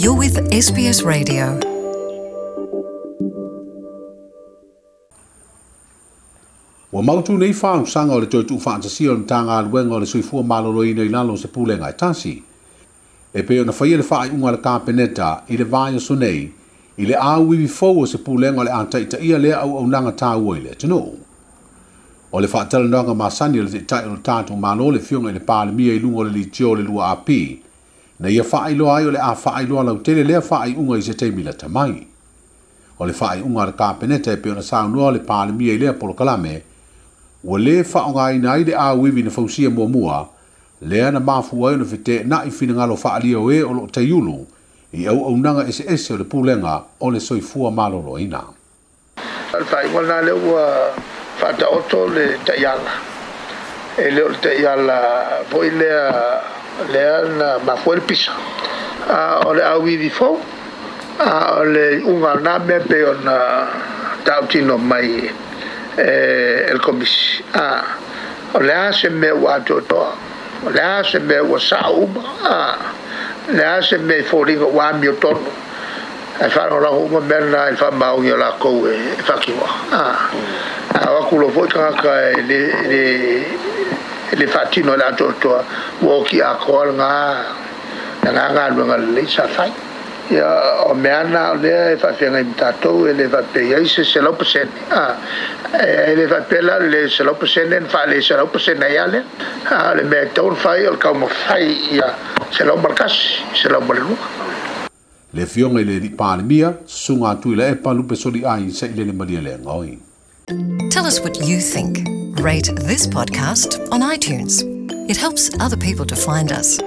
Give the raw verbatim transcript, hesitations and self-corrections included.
You're with S B S Radio. Ua mautu nei fausaga o le toe tuufaatasia o le Matagaluega o le Soifua Maloloina i lalo o se pulega e tasi. E pei ona faia le faaiuga a le Kapeneta i le vaiaso nei i le auivi fou o se pulega o le a taitaia lea auaunaga taua i le atunuu. O le faatalanoaga masani o le taitai o le tatou Malo le Afioga i le Palemia i luga o le litio o le lua A P, na ia faailoa ai o le a faailoa lautele lea faaiuga i se taimi lata mai. O le faaiuga a le Kapeneta e pei ona saunoa le Palemia i lea polokalame, ua lē faaaogaina ai le auivi na fausia muamua, lea na mafua ai ona feteenai finagalo faaalia o e o loo taiulu i auaunaga eseese o le pulega o le Soifua Maloloina. O le faaiuga lena lea ua faataoto le taiala. E le o le taiala foi lea, lea na mafua ai le pisa. A o le auivi fou, a o le iuga o lena mea pei ona tautino mai e le komisi. A o le a se mea ua atoatoa, o le a se mea ua sao uma, a le a se mea i foliga ua amiotonu, ae faalagolago uma mea na i le faamaoni o lakou e faatinoa. A a o atu loa foi tagata e le, le, le faatino i le atoatoa, ua oti atoa lena, lena galuega lelei sa fai. Ia, o mea na o lea e faafeagai ma tatou, e le faapea i ai se selau pasene. A, e le faapea la le selau pasene na faale selau pasene ai lea. A, o le mea e tatau ona fai, o le taumafai ia selau ma le tasi, selau ma le lua. Le Afioga i le Alii Palemia, susuga atu i le epa lupe soli ai sa i lele malia le ngoi. Tell us what you think. Rate this podcast on iTunes. It helps other people to find us.